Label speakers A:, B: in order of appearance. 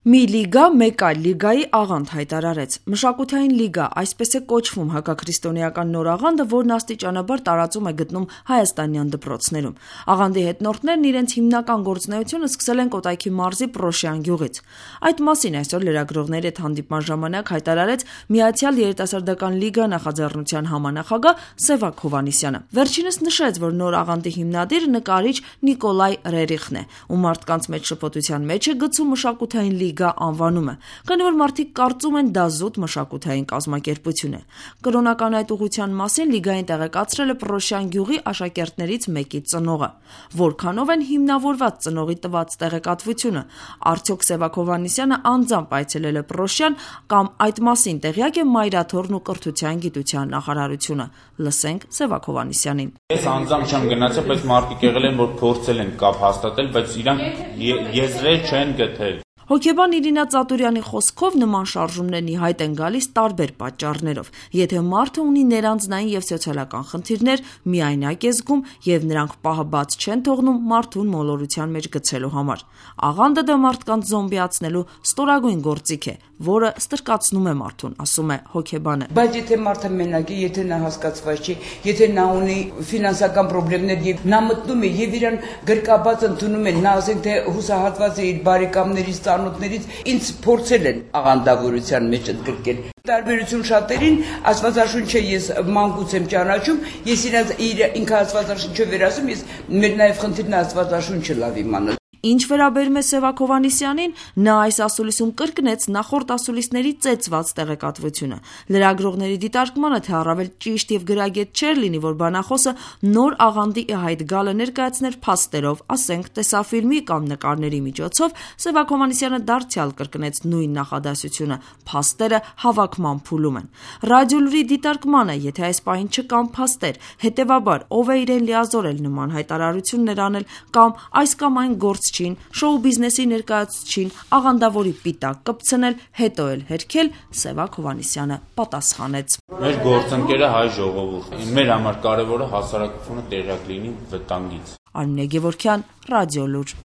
A: Մի լիգա մեկ այլ լիգայի աղանդ հայտարարեց։ Մշակութային լիգա, այսպես է կոչվում հակաքրիստոնեական նոր աղանդը, որն աստիճանաբար տարածում է գտնում հայաստանյան դպրոցներում։ Աղանդի հետնորդներն իրենց հիմնական գործունեությունը սկսել են Կոտայքի մարզի Պրոշյան գյուղից։ Այդ մասին այսօր լրագրողների հետ հանդիպման ժամանակ հայտարարեց Միացյալ երիտասարդական լիգա նախաձեռնության համանախագահ Սևակ Հովհաննիսյանը։ Վերջինս նշեց, որ նոր աղանդի հիմնադիր նկարիչ Նիկոլայ Ռերիխն է, ու մարդկանց մեջ շփոթության մեջ է գցում մշակութային լիգա անվանումը, քանի որ մարդիկ կարծում են դա զուտ մշակութային կազմակերպություն է։ Կրոնական այդ ուղղության մասին լիգային տեղեկացրել է Պրոշյան գյուղի աշակերտներից մեկի ծնողը։ Որքանով են հիմնավորված ծնողի տված տեղեկատվությունը, արդյոք Սևակ Հովհաննիսյանը անձամբ այցելել է Պրոշյան կամ այդ մասին տեղյակ է Մայրաթորն ու կրթության գիտության նախարարությունը։ Լսենք Սևակ Հովհաննիսյանին։
B: Ես անձամբ չեմ գնացել, բայց մարդիկ եղել են, որ փորձել են կապ հաստատել, բայց իրանք եզրեր չեն գտել։
A: Հոգեբան Իրինա Ծատուրյանի խոսքով նման շարժումներն ի հայտ են գալիս տարբեր պատճառներով։ Եթե մարդը ունի ներանձնային եւ սոցիալական խնդիրներ, միայնակ է զգում եւ նրանք պահը բաց չեն թողնում մարդուն մոլորության մեջ գցելու համար։ Աղանդը դա մարդկանց զոմբիացնելու ստորագույն գործիք է, որը ստրկացնում է մարդուն, ասում է հոգեբանը։
C: Բայց եթե մարդը մենակ է, եթե նա հասկացված չի, եթե նա ունի ֆինանսական խնդիրներ եւ նա մտնում է եւ իրան գրկաբաց ընդունում են, նա ասենք թե հուսահատված է իր բարեկամներից ծանոթներից, ինձ փորձել են աղանդավորության մեջ ընդգրկել։ Տարբերություն շատերին Աստվածաշունչը ես մանկուց եմ ճանաչում, ես ինքը Աստվածաշունչը վերասում, ես մեր նաեւ խնդիրն Աստվածաշունչը լավ իմանալ։
A: Ինչ վերաբերում է Սևակ Հովհաննիսյանին, նա այս ասուլիսում կրկնեց նախորդ ասուլիսների ծեծված տեղեկատվությունը։ Լրագրողների դիտարկմանը, թե առավել ճիշտ եւ գրագետ չէր լինի, որ բանախոսը նոր աղանդի ի հայտ գալը ներկայացներ փաստերով, ասենք տեսաֆիլմի կամ նկարների միջոցով, Սևակ Հովհաննիսյանը դարձյալ կրկնեց նույն նախադասությունը. փաստերը հավաքման փուլում են։ Ռադիոլուրի դիտարկմանը, եթե այս պահին չկան փաստեր, հետեւաբար ով է իրեն լիազորել նման հայտարարություններ անել կամ այս կամ այն գործ շոու բիզնեսի ներկայացուցչին աղանդավորի պիտակ կպցնել, հետո էլ հերքել, Սևակ Հովհաննիսյանը պատասխանեց.
B: Մեր գործընկերը հայ ժողովուրդն է, մեր համար կարևորը հասարակությունը տեղյակ լինի վտանգից։
A: Արմինե Գևորգյան, Ռադիոլուր։